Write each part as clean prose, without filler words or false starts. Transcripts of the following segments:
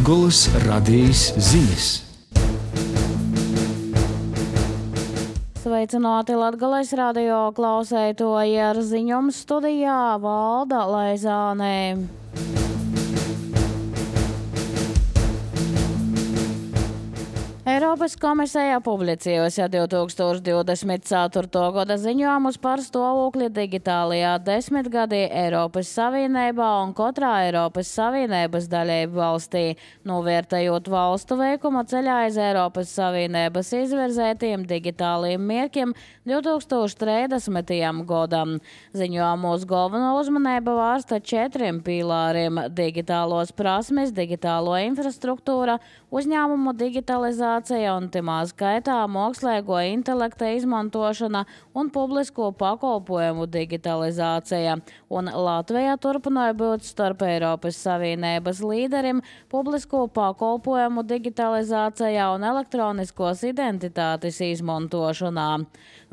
Latgolas radījis ziņas. Sveicināti Latgales radio klausētoji, ar ziņojumu studijā Valda Laizānē. Eiropas komisija publicējusi 2024. gada ziņojumus par stāvokli digitālajā desmitgadī Eiropas Savienībā un katrā Eiropas Savienības dalību valstī, novērtējot valstu veikumu ceļā iz Eiropas Savienības izvirzētiem digitāliem mērķiem 2030. gadam. Ziņojumos galveno uzmanību vērsta 4 pīlāriem – digitālos prasmes, digitālo infrastruktūra, uzņēmumu digitalizācija un timā skaitā mākslīgo intelekta izmantošana un publisko pakalpojumu digitalizācija. Un Latvija turpināja būt starp Eiropas Savienības līderiem publisko pakalpojumu digitalizācijā un elektroniskos identitātes izmantošanā.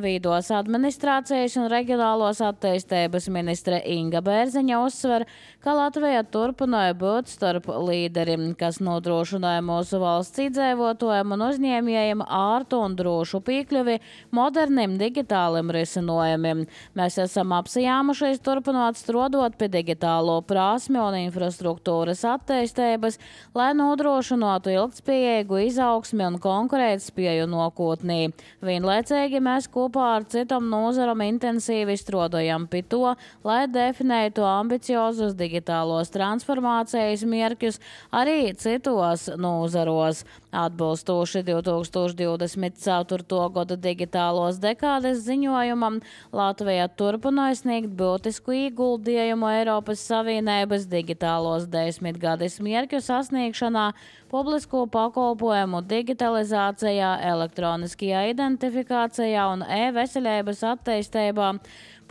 Vīdos administrācijas un reģionālos attīstības ministre Inga Bērziņa uzsver, ka Latvija turpināja būt starp līderiem, kas nodrošināja mūsu valsts iedzīvotājiem un uzņēmējiem ārtu un drošu piekļuvi moderniem digitāliem risinājumiem. Mēs esam apsijāmušies turpināt strādāt pie digitālo prasmi un infrastruktūras attīstības, lai nodrošinātu ilgtspējīgu izaugsmi un konkurētspēju nākotnē. Vienlaicīgi mēs kopā ar citam nozaram intensīvi strādājam pie to, lai definētu ambiciozus digitālos transformācijas mērķus arī citos nozaros. Atbilstoši 2024. gada digitālos dekādes ziņojumam, Latvija turpināja sniegt būtisku ieguldījumu Eiropas Savienības digitālos desmitgades mērķu sasniegšanā, publisko pakalpojumu digitalizācijā, elektroniskajā identifikācijā un e-veselības attīstībā,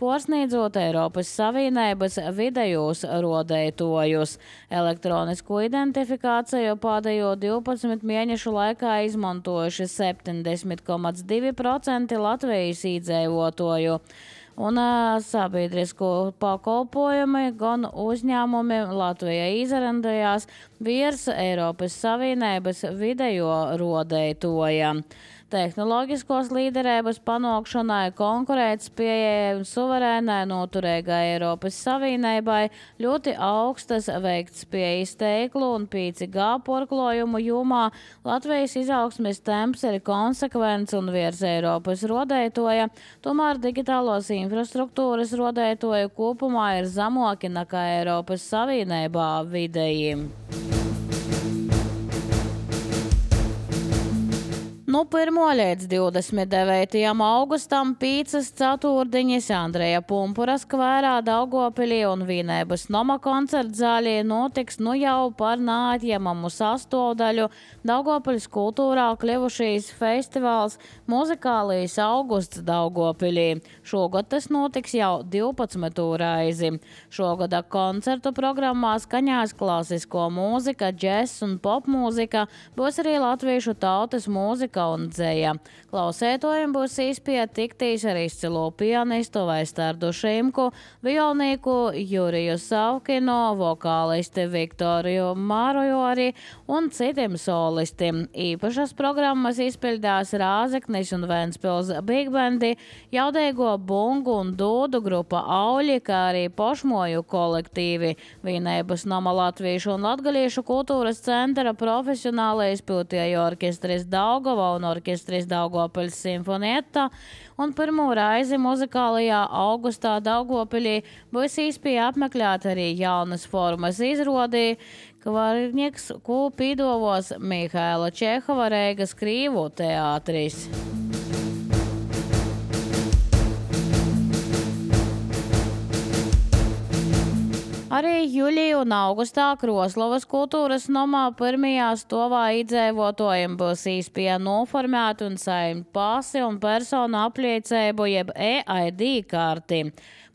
pārsniedzot Eiropas Savienības vidējos rodētojus. Elektronisko identifikāciju pēdējo 12 mēnešu laikā izmantojuši 70,2% Latvijas iedzīvotāju. Un sabiedrisko pakalpojumi gan uzņēmumi Latvijā izrandījās virs Eiropas Savienības vidējo rodētoja. Tehnoloģiskos līderības panākšanai, konkurētspējai un suverēnai noturīgai Eiropas Savienībai ļoti augstas veiktspējas teiklu un 5G porklojumu jomā Latvijas izaugsmes temps ir konsekvents un virs Eiropas rodētoja, tomēr digitālos infrastruktūras rodētoja kopumā ir zemāki nekā Eiropas Savienībā vidēji. No 1. līdz 29. augustam 5 ceturtdienas Andreja Pumpura skvērā Daugavpilī un Vienības Noma koncerta zālē notiks jau par neatņemamu sastāvdaļu Daugavpiļas kultūrā kļuvušīs festivāls Muzikālais augusts Daugavpilī. Šogad tas notiks jau 12. reizi. Šogad koncertu programmā skaņās klasisko mūzika, džess un popmūzika, būs arī latviešu tautas mūzika un dzēja. Klausētojiem būs iespēja tiktīs ar izcilo pianistu Vaistardu Šimku, violnieku Juriju Savkinu, vokālisti Viktoriju Marojori un citiem solistiem. Īpašas programmas izpildās Rāzeknis un Ventspils Big Bandi, jaudīgo bungu un dūdu grupa Auļi, kā arī pošmoju kolektīvi, Vienības Noma latviešu un latgaliešu kultūras centra profesionālais piltieju orkestris Daugava un orkestris Daugavpils Simfonietta, un pirmo reizi muzikālajā augustā Daugavpilī būs iespēja apmeklēt arī jaunas formas izrādī, Kvarnieks, ko pīdovos Mihaila Čehova Reigas Krīvu teātris. Arī jūlijā un augustā Kroslovas kultūras nomā pirmajā stāvā iedzīvotājiem būs iespēja noformēt un saņemt pasi un personu apliecību jeb EID karti.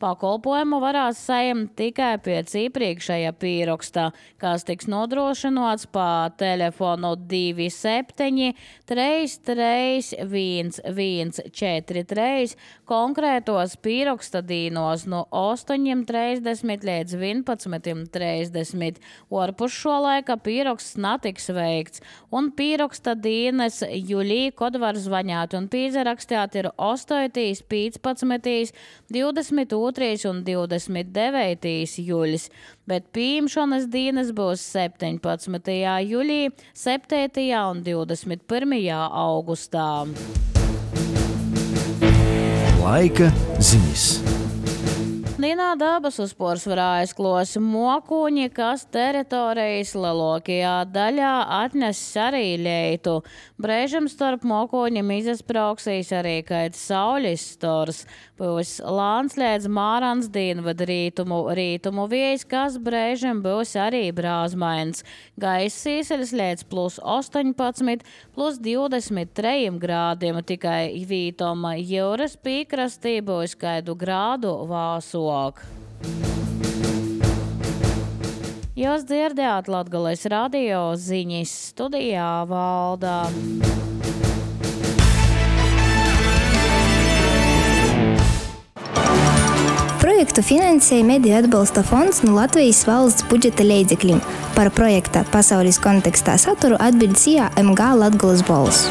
Pakalpojumu varēs saņemt tikai pēc iepriekšējā pieraksta, kas tiks nodrošināts pa telefonu 27 33 143 konkrētos pieraksta dīnos no 8:30 līdz 11:30. Orpus šo laika pieraksts netiks veikts, un pieraksta dīnes jūlī, kad var zvaņāt un pīzarakstāt ir 8, 15, 22 un 29 jūlis, bet pieņemšanas dienas būs 17. jūlī, 7. un 21. augustā. Laika ziņas. Dienā dabas uzpors var aizklos mokuņi, kas teritorijas lielākajā daļā atnes arī leitu. Brēžam starp mokuņiem izasprauksīs arī kait saules stors. Būs lāns līdz mārans dienvad rītumu vējs, kas brēžam būs arī brāzmains. Gaiss sīseļas līdz +18, +23 grādiem, tikai vītom jūras pīkrastī būs kaidu grādu vāsok. Jūs dzirdējāt Latgales radio ziņas, studijā Valdā. Projektu finansēja Mediju atbalsta fonds no Latvijas valsts budžeta līdzekļiem. Par projekta pasaules kontekstā saturu atbild CIA MG Latgales balss.